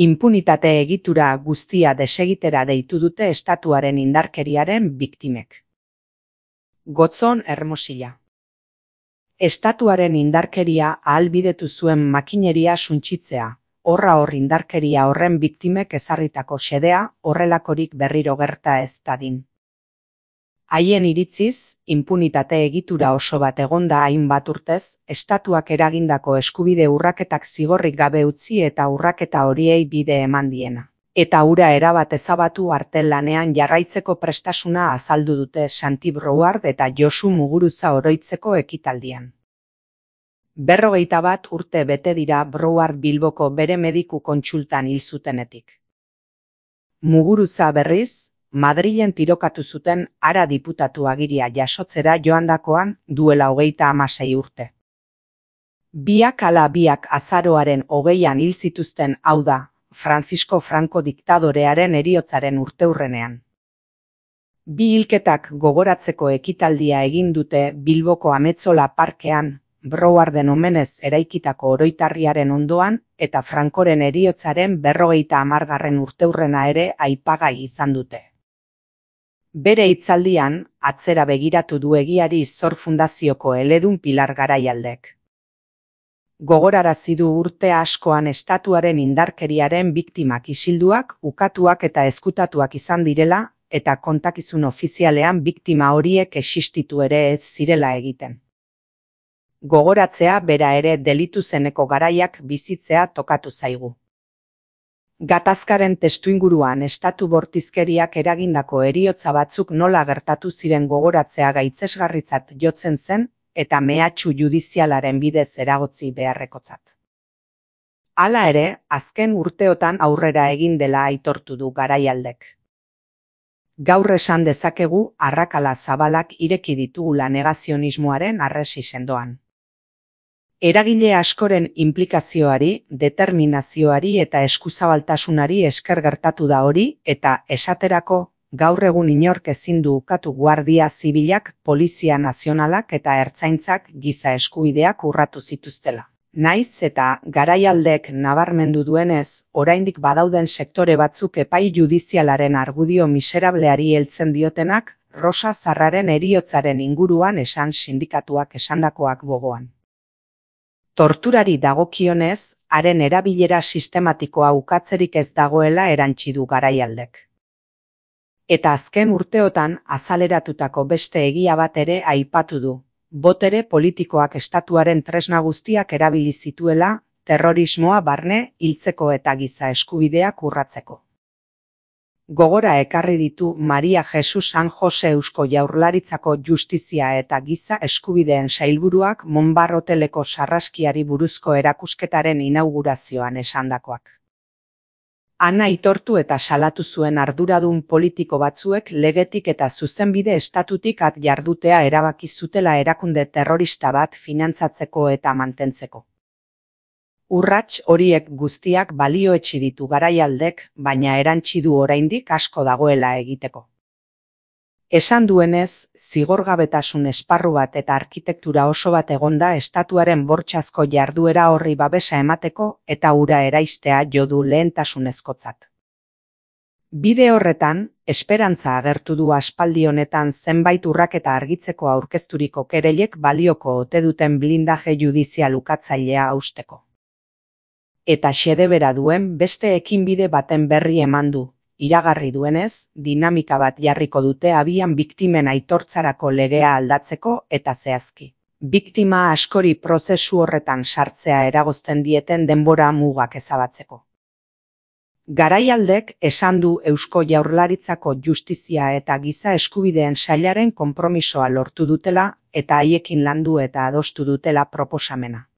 Inpunitate egitura guztia desegitera deitu dute estatuaren indarkeriaren biktimek. Gotzon Hermosilla. Estatuaren indarkeria ahalbidetu zuen makineria suntsitzea, horra hor indarkeria horren biktimek ezarritako xedea horrelakorik berriro gerta ez dadin. Haien iritziz, inpunitate egitura oso bat egonda hainbat urtez, estatuak eragindako eskubide urraketak zigorrik gabe utzi eta urraketa horiei bide eman diena. Eta hura erabat ezabatu arte lanean jarraitzeko prestasuna azaldu dute Santi Brouard eta Josu Muguruza oroitzeko ekitaldian. 51 urte bete dira Brouard Bilboko bere mediku kontsultan hil zutenetik. Muguruza berriz, Madrilen tirokatu zuten hara diputatu agiria jasotzera joandakoan duela 36 urte. Biak ala biak azaroaren 20an hil zituzten, hau da, Francisco Franco diktadorearen heriotzaren urteurrenean. Bi hilketak gogoratzeko ekitaldia egin dute Bilboko Ametzola parkean, Brouarden omenez eraikitako oroitarriaren ondoan eta Francoren heriotzaren 50. urteurrena ere aipagai izan dute. Bere hitzaldian, atzera begiratu du egiari Zor Fundazioko eledun Pilar Garaialdek. Gogorarazi du urte askoan estatuaren indarkeriaren biktimak isilduak, ukatuak eta ezkutatuak izan direla, eta kontakizun ofizialean biktima horiek existitu ere ez zirela egiten. Gogoratzea bera ere delitu zeneko garaiak bizitzea tokatu zaigu. Gatazkaren testuinguruan estatu bortizkeriak eragindako heriotza batzuk nola gertatu ziren gogoratzea gaitzesgarritzat jotzen zen eta mehatxu judizialaren bidez eragotzi beharrekotzat. Hala ere, azken urteotan aurrera egin dela aitortu du Garaialdek. Gaur esan dezakegu arrakala zabalak ireki ditugula negazionismoaren harresi sendoan. Eragile askoren inplikazioari, determinazioari eta eskuzabaltasunari esker gertatu da hori eta esaterako gaur egun inork ezin du ukatu Guardia Zibilak, Polizia Nazionalak eta Ertzaintzak giza eskubideak urratu zituztela. Naiz eta Garaialdek nabarmendu duenez, oraindik badauden sektore batzuk epai judizialaren argudio miserableari heltzen diotenak, Rosa Zarraren heriotzaren inguruan esan sindikatuak esandakoak gogoan. Torturari dagokionez, haren erabilera sistematikoa ukatzerik ez dagoela erantsi du Garaialdek. Eta azken urteotan azaleratutako beste egia bat ere aipatu du. Botere politikoak estatuaren tresna guztiak erabili zituela, terrorismoa barne, hiltzeko eta giza eskubideak urratzeko. Gogora ekarri ditu Maria Jesus San Jose Eusko Jaurlaritzako Justizia eta Giza Eskubideen sailburuak Monbar hoteleko sarraskiari buruzko erakusketaren inaugurazioan esandakoak. Han aitortu eta salatu zuen arduradun politiko batzuek legetik eta zuzenbide estatutik at jardutea erabaki zutela erakunde terrorista bat finantzatzeko eta mantentzeko. Urrats horiek guztiak balioetsi ditu Garaialdek, baina erantsi du oraindik asko dagoela egiteko. Esan duenez, zigorgabetasun esparru bat eta arkitektura oso bat egonda estatuaren bortxazko jarduera horri babesa emateko eta hura eraistea jo du lehentasunezkotzat. Bide horretan, esperantza agertu du aspaldi honetan zenbait urraketa argitzeko aurkezturiko kereilek balioko ote duten blindaje judizial ukatzailea hausteko. Eta xedebera duen beste ekinbide baten berri eman du, iragarri duenez, dinamika bat jarriko dute abian biktimen aitortzarako legea aldatzeko eta zehazki. Biktima askori prozesu horretan sartzea eragozten dieten denbora mugak ezabatzeko. Garaialdek esan du Eusko Jaurlaritzako Justizia eta Giza Eskubideen sailaren konpromisoa lortu dutela eta haiekin landu eta adostu dutela proposamena.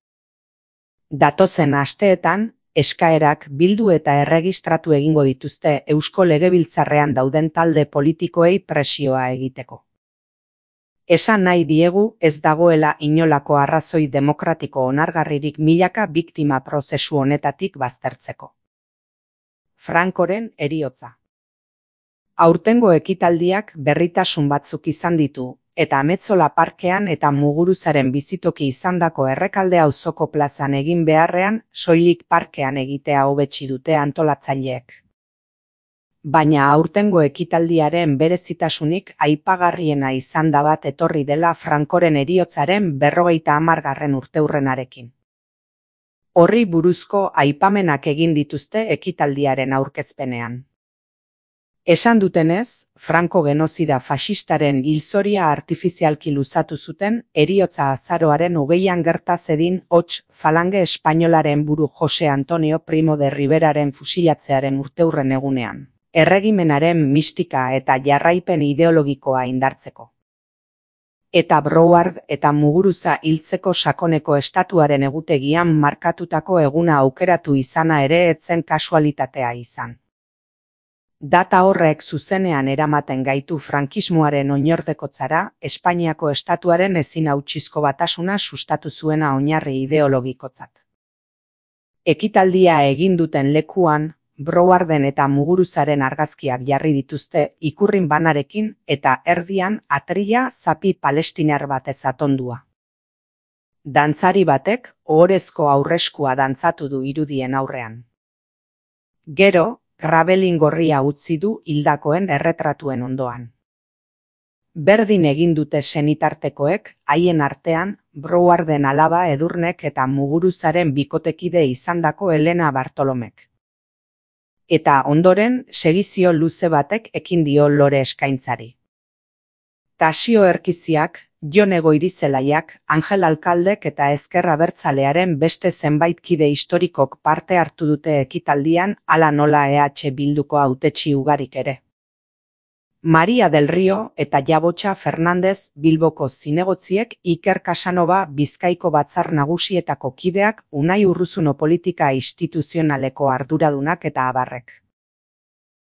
Datozen asteetan, eskaerak bildu eta erregistratu egingo dituzte Eusko Legebiltzarrean dauden talde politikoei presioa egiteko. Esan nahi diegu ez dagoela inolako arrazoi demokratiko onargarririk milaka biktima prozesu honetatik baztertzeko. Francoren heriotza. Aurtengo ekitaldiak berritasun batzuk izan ditu, eta Ametzola parkean eta Muguruzaren bizitoki izandako Errekalde auzoko plazan egin beharrean, soilik parkean egitea hobetsi dute antolatzaileek. Baina aurtengo ekitaldiaren berezitasunik aipagarriena izan da bat etorri dela Francoren heriotzaren 50. urteurrenarekin. Horri buruzko aipamenak egin dituzte ekitaldiaren aurkezpenean. Esan dutenez, Franco genozida faxistaren hilzoria artifizialki luzatu zuten heriotza azaroaren 20an gerta zedin hots falange espainolaren buru Jose Antonio Primo de Riveraren fusilatzearen urteurren egunean, erregimenaren mistika eta jarraipen ideologikoa indartzeko. Eta Broward eta Muguruza hiltzeko sakoneko estatuaren egutegian markatutako eguna aukeratu izana ere ez zen kasualitatea izan. Data horrek zuzenean eramaten gaitu frankismoaren oinordekotzara, Espainiako estatuaren ezin hautsizko batasuna sustatu zuena oinarri ideologikotzat. Ekitaldia egin duten lekuan, Browarden eta Muguruzaren argazkiak jarri dituzte ikurrin banarekin eta erdian atrila zapi palestinar batez atondua. Dantzari batek ohorezko aurreskua dantzatu du irudien aurrean. Gero, grabelin gorria utzi du hildakoen erretratuen ondoan. Berdin egin dute senitartekoek, haien artean, Browarden alaba Edurnek eta Muguruzaren bikotekide izandako Elena Bartolomek. Eta ondoren, segizio luze batek ekin dio lore eskaintzari. Tasio Erkiziak, Jon Egoirizelaiak, Angel Alkaldek eta Ezker Abertzalearen beste zenbait kide historikok parte hartu dute ekitaldian, hala nola EH Bilduko hautetsi ugarik ere. Maria del Rio eta Jabotxa Fernandez Bilboko zinegotziek, Iker Casanova Bizkaiko batzar nagusietako kideak, Unai Urruzuno politika instituzionaleko arduradunak eta abarrek.